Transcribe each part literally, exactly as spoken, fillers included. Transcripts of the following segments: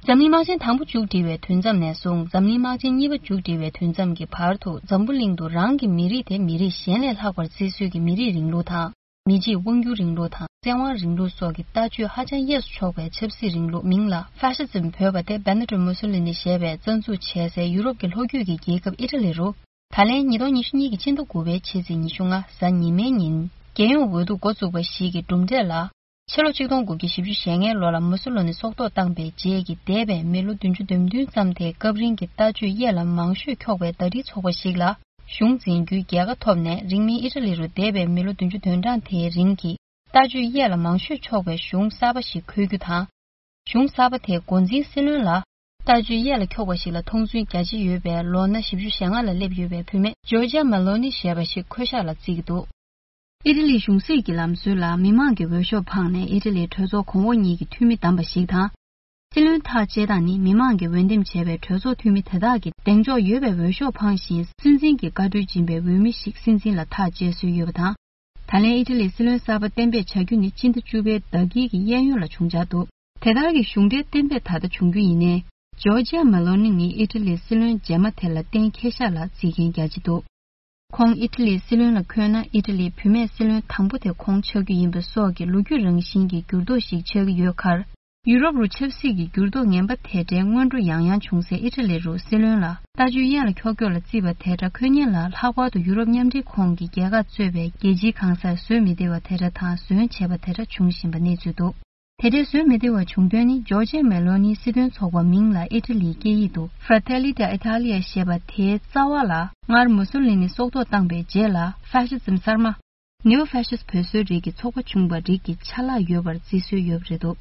འཛམ་གླིང་དམག་ཆེན་དང་པོ་མཇུག་སྒྲིལ་བའི་དུས་མཚམས་ནས་བཟུང་འཛམ་གླིང་དམག་ཆེན་གཉིས་པ་མཇུག་སྒྲིལ་བའི་དུས་མཚམས་ཀྱི་བར་དུ་འཛམ་བུ་གླིང་དུ་རང་གི་མི་རིགས་དེ་མི་རིགས་གཞན་ལས་ལྷག་པར་བརྩི་སྲོལ་གྱི་མི་རིགས་རིང་ལུགས་དང་། མི་གཅིག་དབང་སྒྱུར་རིང་ལུགས་དང་བཙན་དབང་རིང་ལུགས་སོགས་ཀྱི་ལྟ་སྤྱོད་ཧ་ཅང་གཡས་སུ་ཕྱོགས་པའི་ཆབ་སྲིད་རིང་ལུགས་མིང་ལ་ཧྥ་ཤི་ཛིམ་འབོད་པ་དེ་བེ་ནི་ཊོ་མུ་སོ་ལི་ནི་ཞེས་པས་རྩ་འཛུགས་བྱས་སའི་ཡུ་རོབ་ཀྱི་ལྷོ་རྒྱུད་ཀྱི་རྒྱལ་ཁབ་ཨི་ཊ་ལི་རུ། ད་ལན་ཉིས་སྟོང་ཉི་ཤུ་གཉིས་ཀྱི་ཕྱི་ཟླ་དགུ་པའི་ཕྱི་ཚེས་ཉི་ཤུ་ལྔ་གཟའ་ཉི་མའི་ཉིན། རྒྱལ་ཡོངས་འོས་བསྡུ་འགོ་བཙུགས་པ་ཞིག་གི་གྲུབ་འབྲས་ལ། ཕྱི་ལོ་ཆིག་སྟོང་དགུ་བརྒྱ་བཞི་བཅུ་ཞེ་ལྔའི་ལོ་ལ་མུ་སོ་ལོ་ནི་སྲོག་ཐོག་བཏང་པའི་རྗེས་ཀྱི་འདས་པའི་མི་ལོ་བདུན་ཅུ་དོན་བདུན་ཙམ་དེའི་སྐབས་རིང་གི་ལྟ་སྤྱོད་གཡས་ལ་མང་ཤོས་འཁྱོག་པའི་ཟླ་སྒྲིལ་ཚོགས་པ་ཞིག་ལ་གཞུང་འཛིན་རྒྱུའི་རྒྱལ་ཁ་ཐོབ་ནས། རིང་མིན་ཨི་ཊ་ལི་རུ་འདས་པའི་མི་ལོ་བདུན་ཅུ་དོན་གྲངས་དེའི་རིང་གི་ལྟ་སྤྱོད་གཡས་ལ་མང་ཤོས་འཁྱོག་པའི་གཞུང་གསར་པ་ཞིག་འཁོད་རྒྱུ་དང་། གཞུང་གསར་པ་དེའི་འགོ་འཛིན་སྲིད་བློན་ལ་ལྟ་སྤྱོད་གཡས་ལ་འཁྱོག་པ་ཞིག་ལ་མཐོང་ཚུལ་རྒྱ་ཆེ་ཡོད་པའི་ལོ་ན་བཞི་བཅུ་ཞེ་ལྔ་ལ་སླེབས་ཡོད་པའི་བུད་མེད་ཇོར་ཇ་མེ་ལོ་ནི་ཞེས་པ་ཞིག་འཁོད་ཤག་ལ་བརྩི་གི་འདུག་ཨི་ཊ་ལིའི་གཞུང་སྲིད་ཀྱི་ལམ་སྲོལ་ལ་མི་མང་གི་འོས་ཤོག་འཕངས་ནས་ཨི་ཊ་ལིའི་གྲོས་ཚོགས་གོང་འོག་གཉིས་ཀྱི་འཐུས་མི་བདམས་པ་ཞིག་དང་། སྲིད་བློན་ཐག་བཅད་སྟངས་ནི་མི་མང་གིས་འོས་འདེམས་བྱས་པའི་གྲོས་ཚོགས་འཐུས་མི་དེ་དག་གིས་གདེང་འཇོག་ཡོད་པའི་འོས་ཤོག་འཕངས་ཤིང་། སྲིད་འཛིན་གྱི་བཀའ་འཁྲོལ་སྦྱིན་པའི་འོས་མི་ཞིག་སྲིད་འཛིན་ལ་ཐག་བཅད་སྲོལ་ཡོད་པ་དང་། ད་ལན་ཨི་ཊ་ལིའི་སྲིད་བློན་གསར་པ་གཏན་འབེབས་བྱ་རྒྱུ་ནི་སྤྱི་ཟླ་བཅུ་པའི་ཟླ་དཀྱིལ་གྱི་གཡས་གཡོན་ལ་བྱུང་འཆར་འདུག་དེ་ལྟར་གྱི་གཞུང་འབྲེལ་གཏན་འབེབས་ད་ལྟ་བྱུང་རྒྱུ་ཡིན་ནའི། ཇོར་ཇ་མེ་ལོ་ནི་ནི་ཨི་ཊ་ལིའི་སྲིད་བློན་རྗེས་མ་དེ་ལ་གཏན་འཁེལ་ཤག་ལ་བརྩི་མཁན་རྒྱ་ཆེ་འདུག་ཁོང་ཨི་ཊ་ལིའི་སྲིད་བློན་ལ་འཁོད་ན་ཨི་ཊ་ལིའི་བུད་མེད་སྲིད་བློན་དང་པོ་དེ་ཁོང་ཆགས་རྒྱུ་ཡིན་པ་སོགས་ཀྱི་ལོ་རྒྱུས་རང་བཞིན་གྱི་འགྱུར་ལྡོག་ཞིག་ཆགས་ཀྱི་ཡོད་ཁར། ཡུ་རོབ་རུ་ཆབ་སྲིད་ཀྱི་འགྱུར་ལྡོག་ངན་པ་དེ་འདྲའི་སྔོན་འགྲོ་ཡང་ཡང་བྱུང་སའི་ཨི་ཊ་ལི་རུ་སྲིད་བློན་ལ་ལྟ་སྤྱོད་གཡས་ལ་འཁྱོག་འཁྱོག་ལ་བརྩིས་པ་དེ་འདྲ་འཁོད་མཁན་ལ། ལྷག་པར་དུ་ཡུ་རོབ་མཉམ་འབྲེལ་ཁོངས་ཀྱི་རྒྱལ་ཁག་གཙོས་པའི་རྒྱལ་སྤྱིའི་གང་སར་བཟོད་མི་བདེ་བ་དེ་འདྲ་དང་ཟོན་བྱས་པ་དེ་འདྲ་བྱུང་བཞིན་པ་གནས་ཚུལ་འདུག་དེ་འདྲའི་ཟོན་མི་བདེ་བ་བྱུང་དོན་ནི་ཇོར་ཇ་མེ་ལོ་ནིའི་སྲིད་དོན་ཚོགས་པ་མིང་ལ་ཨི་ཊ་ལིའི་སྐད་ཡིག་ཏུ་Fratelli d'Italia ཞེས་པ་དེའི་རྩ་བ་ལ་སྔར་མུ་སོ་ལི་ནི་སྲོག་ཐོག་བཏང་པའི་རྗེས་ལ་ཧྥ་ཤི་ཛིམ་གསར་མ། ནེའོ་ཧྥ་ཤི་སི་བོད་བཟོའི་རིགས་ཀྱི་ཚོགས་པ་བྱུང་བ་རིགས་ཀྱི་ཆ་ལག་ཡོད་པར་བརྩི་སྲོལ་ཡོད་པ་རེད་འདུག་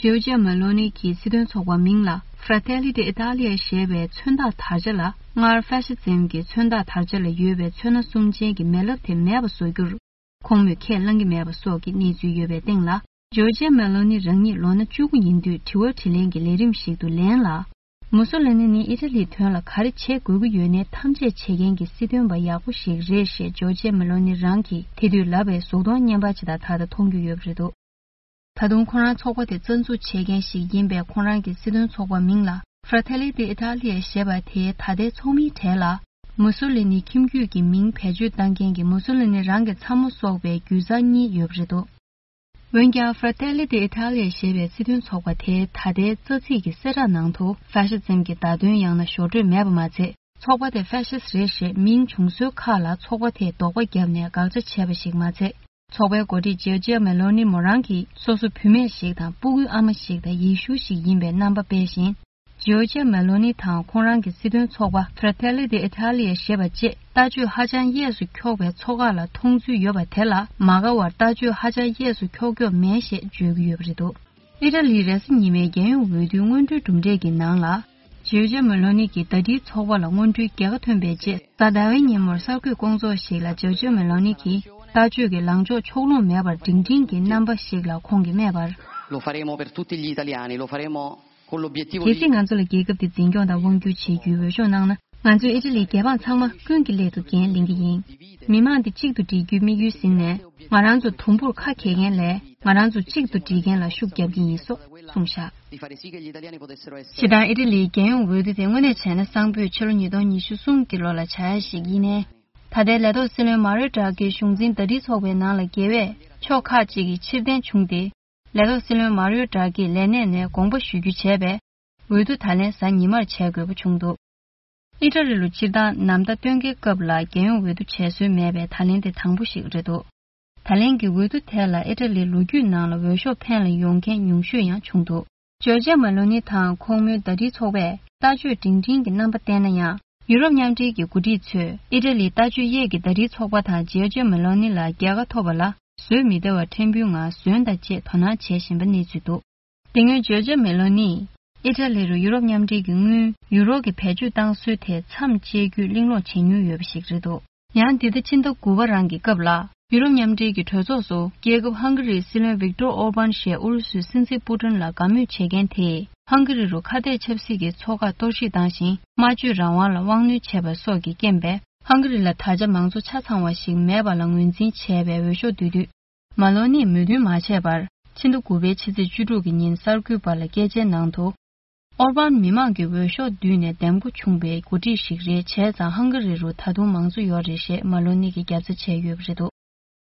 ཇོར་ཇ་མེ་ལོ་ནི་གི་སྲིད་དོན་ཚོགས་པ་མིང་ལ་Fratelli d'Italia ཞེས་པའི་མཚོན་རྟགས་དར་ཆ་ལ། སྔར་ཧྥ་ཤི་ཛིམ་གྱི་མཚོན་རྟགས་དར་ཆ་ལ་ཡོད་པའི་ཚོན་སྣ་གསུམ་ཅན་གྱི་མེ་ལེབ་དེ་མེད་པ་བཟོ་རྒྱུར། ཁོང་མོས་ཁས་བླངས་ཀྱི་མེད་པ་སོགས་ཀྱི་གནས་ཚུལ་ཡོད་པའི་སྟེང་ལ། ཇོར་ཇ་མེ་ལོ་ནི་རང་ཉིད་ལོ་ན་བཅུ་དགུ་ཡིན་དུས་དྲི་བ་དྲིས་ལན་གྱི་ལས་རིམ་ཞིག་ཏུ་ལན་ལ། མུ་སོ་ལི་ནི་ནི་ཨི་ཊ་ལིའི་དོན་ལ་ག་རེ་བྱེད་དགོས་ཀྱི་ཡོད་ནའི་ཐམས་ཅད་བྱེད་མཁན་གྱི་སྲིད་དོན་པ་ཡག་པོ་ཞིག་རེད་ཞེས་ཇོར་ཇ་མེ་ལོ་ནི་རང་གིས་དེ་དུས་ལབ་པའི་གཟུགས་མཐོང་བརྙན་པར་ཇི་ལྟར་ད་ལྟ་མཐོང་རྒྱུ་ཡོད་པ་རེད་འདུག་ད་དུང་ཁོ་རང་ཚོགས་པ་དེ་རྩ་འཛུགས་བྱེད་མཁན་ཞིག་ཡིན་པས། ཁོ་རང་གི་སྲིད་དོན་ཚོགས་པ་མིང་ལ་Fratelli d'Italia ཞེས་པ་དེའི་ད་ལྟའི་ཚོགས་མིའི་གྲས་ལ། མུ་སོ་ལི་ནི་ཁྱིམ་རྒྱུད་ཀྱི་མིང་བེད་སྤྱོད་བཏང་མཁན་གྱི་མུ་སོ་ལི་ནི་རང་གི་ཚ་མོ་སོགས་པའི་རྒྱུད་བཟང་གཉིས་ཡོད་པ་རེད་འདུག་འོན་ཀྱང་Fratelli d'Italia ཞེས་པའི་སྲིད་དོན་ཚོགས་པ་དེའི་ད་ལྟའི་རྩ་ཚིག་གི་གསལ་བསྒྲགས་ནང་དུ་ཧྥ་ཤི་ཛིམ་གྱི་བརྡ་དོན་ཡང་ན་ཞོར་འཕྲོས་མེད་པ་མ་ཚད། ཚོགས་པ་དེ་ཧྥ་ཤི་སི་རེད་ཞེས་མིང་བྱུང་སྲོལ་ཁག་ལ་ཚོགས་པ་དེས་དོགས་པ་བརྒྱབ་ནས་དགག་བྱ་བྱས་པ་ཞིག་མ་ཚད། ཚོགས་པའི་འགོ་ཁྲིད་ཇོར་ཇ་མེ་ལོ་ནི་མོ་རང་གིས་སོ་སོ་བུད་མེད་ཞིག་དང་སྤུ་གུའི་ཨ་མ་ཞིག་དང་ཡེ་ཤུ་ཞིག་ཡིན་པའི་རྣམ་པ་སྤེལ་ཞིང་། ཇོར་ཇ་མེ་ལོ་ནི་དང་ཁོང་རང་གི་སྲིད་དོན་ཚོགས་པ་Fratelli d'Italia ཞེས་པ་བཅས་ལྟ་སྤྱོད་ཧ་ཅང་གཡས་སུ་འཁྱོག་པའི་ཚོགས་ཁག་ལ་མཐོང་ཚུལ་ཡོད་པ་དེ་ལ་མ་དགའ་བར། ལྟ་སྤྱོད་ཧ་ཅང་གཡས་སུ་འཁྱོག་འཁྱོག་མེད་ཞེས་བརྗོད་ཀྱི་ཡོད་པ་རེད་འདུག་ཨི་ཊ་ལིའི་རེས་གཟའ་ཉི་མའི་རྒྱལ་ཡོངས་འོས་བསྡུའི་སྔོན་འགྲོའི་གྲུབ་འབྲས་ཀྱི་ནང་ལ། ཇོར་ཇ་མེ་ལོ་ནི་གི་ཟླ་སྒྲིལ་ཚོགས་པ་ལ་སྔོན་འགྲོའི་རྒྱལ་ཁ་ཐོན་པའི་རྗེས། གཟའ་ཟླ་བའི་ཉིན་མོར་གསར་འགོད་སྐོང་ཚོགས་ཤིག་ལ་ཇོར་ཇ་མེ་ལོ་ནི་གིས་ལྟ་སྤྱོད་ཀྱི་ལངས་ཕྱོགས་ཕྱོགས་ལྷུང་མེད་པར་སྒྲིང་སྒྲིང་གི་རྣམ་པ་ཞིག་ལ་ཁོང་གིས་སྨྲས་པར། Lo faremo per tutti gli italiani, lo faremo con l'obiettivo di གལ་སྲིད་ང་ཚོ་ལ་རྒྱལ་ཁབ་འདི་འཛིན་སྐྱོང་དང་དབང་སྒྱུར་བྱེད་རྒྱུའི་འོས་ཤོག་གནང་ན། ང་ཚོས་ཨི་ཊ་ལིའི་རྒྱལ་འབངས་ཚང་མ་ཀུན་གྱི་སླད་དུ་འགན་ལེན་གྱི་ཡིན། མི་མང་འདི་གཅིག་ཏུ་སྒྲིལ་རྒྱུའི་དམིགས་ཡུལ་ཟིན་ནས། ང་རང་ཚོ་དུམ་བུར་ཁ་གྱེས་མཁན་ལས་ང་རང་ཚོ་གཅིག་ཏུ་སྒྲིལ་མཁན་ལ་ཤུགས་རྒྱབ་ཀྱི་ཡིན་སོགས་གསུངས་བཞག Di fare sì che gli italiani potessero essere སྤྱིར་བཏང་ཨི་ཊ་ལིའི་རྒྱལ་ཡོངས་འོས་བསྡུ་དེ་དངོས་གནས་བྱས་ན་གསང་ཕོད་ཕྱི་ལོ་ཉིས་སྟོང་ཉི་ཤུ་གསུམ་གྱི་ལོ་ལ་བྱ་ཡ་ཞིག་ཡིན་ནའི། ད་ལྟའི་ལས་ཐོག་སྲིད་བློན་མ་རིའོ་དྲ་གིའི་གཞུང་འཛིན་ཟླ་སྒྲིལ་ཚོགས་པའི་ནང་ལ་འགལ་བས་ཕྱོགས་ཁག་ཅིག་གིས་ཕྱིར་འཐེན་བྱུང་སྟེ། ལས་ཐོག་སྲིད་བློན་མ་རིའོ་དྲ་གིས་ལས་གནས་ནས་དགོངས་པ་ཞུ་རྒྱུ་བྱས་པས། འོས་བསྡུ་ད་ལན་གཟའ་ཉི་མར་བྱེད་དགོས་པ་བྱུང་འདུག་ཨི་ཊ་ལི་ལུ་སྤྱིར་བཏང་ནམ་ཟླ་སྟོན་ཁའི་སྐབས་ལ་རྒྱལ་ཡོངས་འོས་བསྡུ་བྱེད་སྲོལ་མེད་པས་ད་ལན་དེ་དང་པོ་ཞིག་རེད་འདུག་ད་ལན་གྱི་འོས་བསྡུ་དེ་ལ་ཨི་ཊ་ལིའི་ལོ་རྒྱུས་ནང་ལ་འོས་ཤོག་འཕེན་ལ་ཡོང་མཁན་ཉུང་ཤོས་ཡང་བྱུང་འདུག་ཇོར་ཇ་མེ་ལོ་ནི་དང་ཁོང་མོའི་ཟླ་སྒྲིལ་ཚོགས་པས་ལྟ་སྤྱོད་སྒྲིང་སྒྲིང་གི་རྣམ་པ་བསྟན་ན་ཡང་། ཡུ་རོབ་མཉམ་འབྲེལ་གྱི་འགོ་ཁྲིད་ཚོས་ཨི་ཊ་ལིའི་ལྟ་སྤྱོད་གཡས་ཀྱི་ཟླ་སྒྲིལ་ཚོགས་པ་དང་ཇོར་ཇ་མེ་ལོ་ནི་ལ་རྒྱལ་ཁ་ཐོབ་པ་ལ་བཟོད་མི་བདེ་བ་ཕྲན་བུའི་ངང་ཟོན་དང་བཅས་དོ་སྣང་བྱེད་བཞིན་པ་གནས་ཚུལ་འདུག་དེ་སྔོན་ཇོར་ཇ་མེ་ལོ་ནིས་ཨི་ཊ་ལི་རུ་ཡུ་རོབ་མཉམ་འབྲེལ་གྱི་དངུལ་ཡུ་རོ་གི་བེད་སྤྱོད་བཏང་སྲོལ་དེ་མཚམས་བཅད་རྒྱུའི་གླེང་སློང་བྱེད་མྱོང་ཡོད་པ་ཞིག་རེད་འདུག་ཡང་འདི་ཟླ་ཕྱི་ཟླ་དགུ་པ་རང་གི་སྐབས་ལ་ཡུ་རོབ་མཉམ་འབྲེལ་གྱི་གྲོས་ཚོགས་སུ་རྒྱལ་ཁབ་ཧང་ག་རིའི་སྲིད་བློན་ཝིག་ཏོར་ཨོར་བན་ཞེས་ཨུ་རུ་སུའི་སྲིད་འཛིན་པུ་ཏིན་ལ་དགའ་མོས་བྱེད་མཁན་དེས་ཧང་ག་རི་རུ་ཁ་གཏད་ཆབ་སྲིད་ཀྱི་ཚོགས་ཁག་གཏོར་བཤིག་བཏང་ཞིང་སྨྲ་བརྗོད་རང་དབང་ལ་དབང་གནོད་བྱས་པ་སོགས་ཀྱི་རྐྱེན་པས་ཧང་ག་རི་ལ་ད་ཆ་མང་གཙོ་ཆ་ཚང་བ་ཞིག་མེད་པ་ལ་ངོས་འཛིན་བྱས་པའི་འོས་ཤོག་བསྡུ་དུས། མ་ལོ་ནིས་མོས་མཐུན་མ་བྱས་པར་ཕྱི་ཟླ་དགུ་པའི་ཕྱི་ཚེས་བཅུ་དྲུག་གི་ཉིན་གསར་འགོད་པ་ལ་སྐད་ཆའི་ནང་དུ། ཨོར་བཱན་མི་མང་གི་འོས་ཤོག་བསྡུས་ནས་འདེམས་བསྐོ་བྱུང་བའི་འགོ་ཁྲིད་ཞིག་རེད། བྱས་ཙང་ཧང་ག་རི་རུ་ད་དུང་མང་གཙོ་ཡོད་རེད་ཞེས་མ་ལོ་ནི་གིས་རྒྱབ་རྩ་བྱས་ཡོད་པ་རེད་འདུག་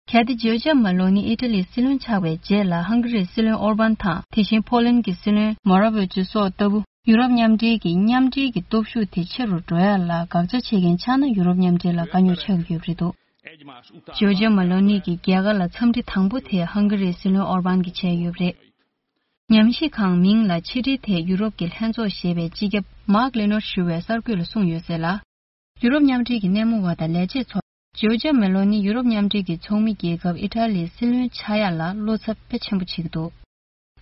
གལ་ཏེ་ཇོར་ཇ་མ་ལོ་ནི་ཨི་ཊ་ལིའི་སྲིད་བློན་ཆགས་པའི་རྗེས་ལ་ཧང་ག་རིའི་སྲིད་བློན་ཨོར་བཱན་དང་དེ་བཞིན་ཕོ་ལན་གྱི་སྲིད་བློན་མོ་ར་ཝེ་ཅི་སོགས་ལྟ་བུ་ཡུ་རོབ་མཉམ་འབྲེལ་གྱི་མཉམ་འབྲེལ་གྱི་སྟོབས་ཤུགས་དེ་ཆེ་རུ་འགྲོ་ཡ་ལ་དགག་བྱ་བྱེད་མཁན་ཆགས་ན་ཡུ་རོབ་མཉམ་འབྲེལ་ལ་དཀའ་རྙོག་ཆགས་ཀྱི་ཡོད་པ་རེད་འདུག་ཇོར་ཇ་མ་ལོ་ནི་གི་རྒྱལ་ཁ་ལ་འཚམས་འདྲི་དང་པོ་དེ་ཧང་ག་རིའི་སྲིད་བློན་ཨོར་བཱན་གྱིས་བྱས་ཡོད་པ་རེད། ཉམས་ཞིབ་ཁང་མིང་ལ་ཕྱི་འབྲེལ་ཐད་ཡུ་རོབ་ཀྱི་ལྷན་ཚོགས་ཞེས་པའི་སྤྱི་ཁྱབ་མཱག་ལེ་ནོར་ཞུ་བས་གསར་འགོད་ལ་གསུངས་ཡོད་ཟེར་ལ། ཡུ་རོབ་མཉམ་འབྲེལ་གྱི་སྣེ་མོ་བ་དང་ལས་བྱེད་ཚོ་ཇོར་ཇ་མེ་ལོ་ནི་ཡུ་རོབ་མཉམ་འབྲེལ་གྱི་ཚོགས་མི་རྒྱལ་ཁབ་ཨི་ཊ་ལིའི་སྲིད་བློན་ཆགས་ཡག་ལ་བློ་འཚབ་དཔེ་ཆེན་པོ་བྱེད་ཀྱི་འདུག་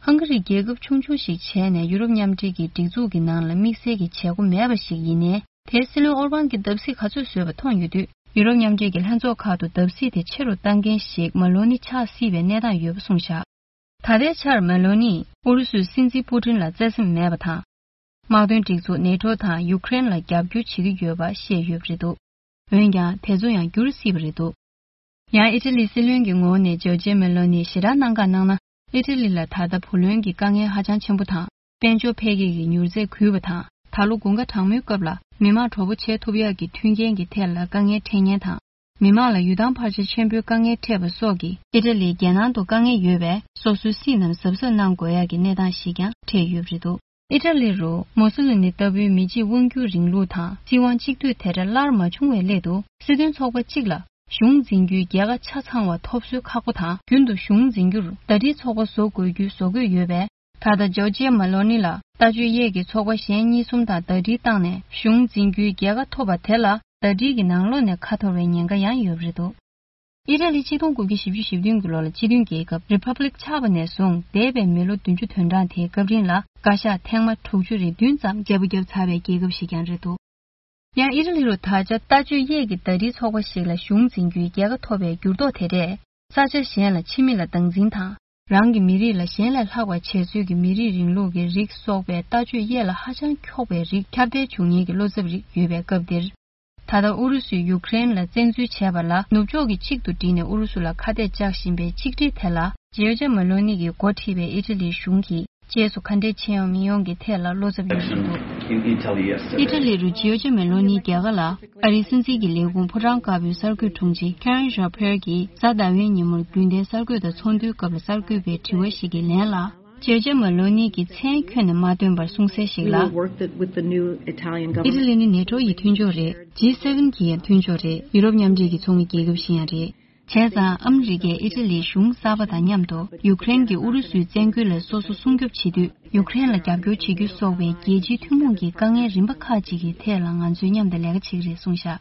ཧང་ག་རི་རྒྱལ་ཁབ་ཆུང་ཆུང་ཞིག་བྱས་ནས་ཡུ་རོབ་མཉམ་འབྲེལ་གྱི་སྒྲིག་འཛུགས་ཀྱི་ནང་ལ་དམིགས་བསལ་གྱི་བྱེད་སྒོ་མེད་པ་ཞིག་ཡིན་ནའི། དེའི་སྲིད་བློན་ཨོར་བཱན་གྱིས་བརྡབ་གསིག་ག་ཚོད་བཟོས་པ་མཐོང་ཡོད་དུས། ཡུ་རོབ་མཉམ་འབྲེལ་གྱི་ལྷན་ཚོགས་ཁག་ཏུ་བརྡབ་གསིག་དེ་ཆེ་རུ་བཏང་མཁན་ཞིག་མ་ལོ་ནི་ཆགས་སྲིད་པའི་གནས་སྟངས་ཡོད་པ་གསུངས་བཞག་ད་ལྟའི་ཆར་མེ་ལོ་ནིས་ཨུ་རུ་སུའི་སྲིད་འཛིན་པུ་ཏིན་ལ་བརྩེ་སེམས་མེད་པ་དང་། དམག་དོན་སྒྲིག་འཛུགས་ནེ་ཊོ་དང་ཡུཀ་རེན་ལ་རྒྱབ་སྐྱོར་བྱེད་ཀྱི་ཡོད་པ་བཤད་ཡོད་པ་རེད་འདུག་འོན་ཀྱང་དེ་ཚོ་ཡང་འགྱུར་སྲིད་པ་རེད་འདུག་ཡང་ཨི་ཊ་ལིའི་སྲིད་བློན་གྱི་ངོ་བོ་ནས་ཇོར་ཇ་མེ་ལོ་ནིས་ཞེ་དྲག་གནད་འགག་གནང་ན། ཨི་ཊ་ལི་ལ་ད་ལྟ་བུ་ལོན་གྱི་དཀའ་ངལ་ཧ་ཅང་ཆེན་པོ་དང་། དཔལ་འབྱོར་འཕེལ་རྒྱས་ཀྱི་མྱུར་ཚད་རྒུད་པ་དང་། ད་ལོ་དགུན་ཁ་གྲང་མོའི་སྐབས་ལ་མི་མང་གྲོགས་པོ་བྱེད་ཐུབ་ཡག་གི་མཐུན་རྐྱེན་གྱི་ཐད་ལ་དཀའ་ངལ་འཕྲད་ཉེན་དང་། མི་མང་ལ་ཡུལ་ཐང་འཕར་ཆ་ཆེན་པོའི་དཀའ་ངལ་འཕྲད་པ་སོགས་ཀྱིས་ཨི་ཊ་ལིའི་རྒྱལ་ནང་དུ་དཀའ་ངལ་ཡོད་པས་སོ་སོའི་སྲིད་རྣམས་གཟབ་གཟབ་གནང་དགོས་ཡག་གི་གནས་སྟངས་ཤིག་ཀྱང་འཕྲད་ཡོད་པ་རེད་འདུག་ཨི་ཊ་ལི་རུ་མུ་སོ་ལི་ནི་ལྟ་བུའི་མི་གཅིག་དབང་སྒྱུར་རིང་ལུགས་དང་སྲིད་དབང་གཅིག་སྡུད་དེ་འདྲ་སླར་མ་བྱུང་བའི་སླད་དུ་སྲིད་དོན་ཚོགས་པ་གཅིག་ལ་གཞུང་འཛིན་རྒྱུའི་རྒྱལ་ཁ་ཆ་ཚང་བ་ཐོབ་སྲོལ་ཁག་པོ་དང་། རྒྱུན་དུ་གཞུང་འཛིན་རྒྱུར་ཟླ་སྒྲིལ་ཚོགས་པ་བཟོ་དགོས་རྒྱུའི་བཟོ་བཀོད་ཡོད་པས། ད་ལྟ་ཇོར་ཇི་མེ་ལོ་ནི་ལ་ལྟ་སྤྱོད་གཡས་ཀྱི་ཚོགས་པ་གཞན་གཉིས་གསུམ་དང་ཟླ་སྒྲིལ་བཏང་ནས་གཞུང་འཛིན་རྒྱུའི་རྒྱལ་ཁ་ཐོབ་པ་དེ་ལ་ཟླ་སྒྲིལ་གྱི་ནང་ལོགས་ནས་ཁ་འཐོར་བའི་ཉེན་ཁ་ཡང་ཡོད་པ་རེད་འདུག་ཨི་ཊ་ལི་ཆིག་སྟོང་དགུ་བརྒྱ་བཞི་བཅུ་ཞེ་བདུན་གྱི་ལོ་ལ་སྤྱི་མཐུན་རྒྱལ་ཁབ་རི་ཕབ་ལིག་ཆགས་པ་ནས་བཟུང་འདས་པའི་མི་ལོ་བདུན་ཅུ་དོན་གྲངས་དེའི་སྐབས་རིང་ལ་བཀའ་ཤག་ཐེངས་མ་དྲུག་ཅུ་རེ་བདུན་ཙམ་བརྗེ་པོ་བརྒྱབ་ཚར་བའི་རྒྱལ་ཁབ་ཞིག་ཀྱང་རེད་འདུག་ཡང་ཨི་ཊ་ལི་རུ་ད་ཆ་ལྟ་སྤྱོད་གཡས་ཀྱི་ཟླ་སྒྲིལ་ཚོགས་པ་ཞིག་ལ་གཞུང་འཛིན་རྒྱུའི་རྒྱལ་ཁ་ཐོབ་པའི་འགྱུར་ལྡོག་དེ་འདྲས་ས་ཆ་གཞན་ལ་ཕྱི་མི་ལ་སྟངས་འཛིན་དང་། རང་གི་མི་རིགས་ལ་གཞན་ལས་ལྷག་པ་བྱེད་ཚུལ་གྱི་མི་རིགས་རིང་ལུགས་ཀྱི་རིགས་སོགས་པའི་ལྟ་སྤྱོད་གཡས་ལ་ཧ་ཅང་འཁྱོག་པའི་རིགས་ཁྱབ་གདལ་བྱུང་ཉེན་གྱི་བློ་འཚབ་རིགས་ཡོད་པའི་སྐབས་འདིར། ད་ལྟ་ཨུ་རུ་སུས་ཡུཀ་རེན་ལ་བཙན་འཛུལ་བྱས་པ་ལ་ནུབ་ཕྱོགས་ཀྱིས་གཅིག་ཏུ་བསྒྲིལ་ནས་ཨུ་རུ་སུ་ལ་ཁ་གཏད་བཅག་བཞིན་པའི་གཅིག་སྒྲིལ་དེ་ལ་ཇོར་ཇ་མེ་ལོ་ནི་གིས་འགོ་ཁྲིད་པའི་ཨི་ཊ་ལིའི་གཞུང་གིས་རྗེས་སུ་ག་འདྲས་བྱེད་ཡོང་མི་ཡོང་གི་ཐད་ལ་བློ་འཚབ་ཡོད་བཞིན་འདུག་ཨི་ཊ་ལི་རུ་ཇོར་ཇ་མེ་ལོ་ནིའི་རྒྱལ་ཁ་ལ་ཨ་རིའི་སྲིད་འཛིན་གྱི་ལས་ཁུངས་ཕོ་བྲང་དཀར་པོའི་གསར་འགོད་དྲུང་ཆེ་ཁེ་རན་ཞཱ་ཕེར་གྱིས་གཟའ་ཟླ་བའི་ཉིན་མོར་རྒྱུན་ལྡན་གསར་འགོད་དང་ཚོགས་འདུའི་སྐབས་ལ་གསར་འགོད་པའི་དྲི་བ་ཞིག་གི་ལན་ལ། ཇོར་ཇ་མེ་ལོ་ནི་གིས་མཚན་ཁྱོན་ནས་མ་བཏོན་པར་གསུངས་གསལ་ཞིག་ལ། ཨི་ཊ་ལི་ནི་ནེ་ཊོ་ཡི་མཐུན་ཕྱོགས་རེད། ཇི་སེ་ཝེན་གྱི་ཡང་མཐུན་ཕྱོགས་རེད། ཡུ་རོབ་མཉམ་འབྲེལ་གྱི་ཚོགས་མི་རྒྱལ་ཁབ་ཞིག་ཡང་རེད། བྱས་ཙང་ཨ་མི་རི་ཀས་ཨི་ཊ་ལིའི་གཞུང་གསར་པ་དང་མཉམ་དུ་ཡུཀ་རེན་གྱིས་ཨུ་རུ་སུའི་བཙན་རྒོལ་ལས་སོ་སོ་སྲུང་སྐྱོབ་བྱེད་དུས་ཡུཀ་རེན་ལ་རྒྱབ་སྐྱོར་བྱེད་རྒྱུ་སོགས་པའི་རྒྱལ་སྤྱིའི་ཐུན་མོང་གི་དཀའ་ངལ་རིམ་པ་ཁག་ཅིག་གི་ཐད་ལ་ང་ཚོས་མཉམ་དུ་ལས་ཀ་བྱེད་ཀྱི་རེད་གསུངས་བཞག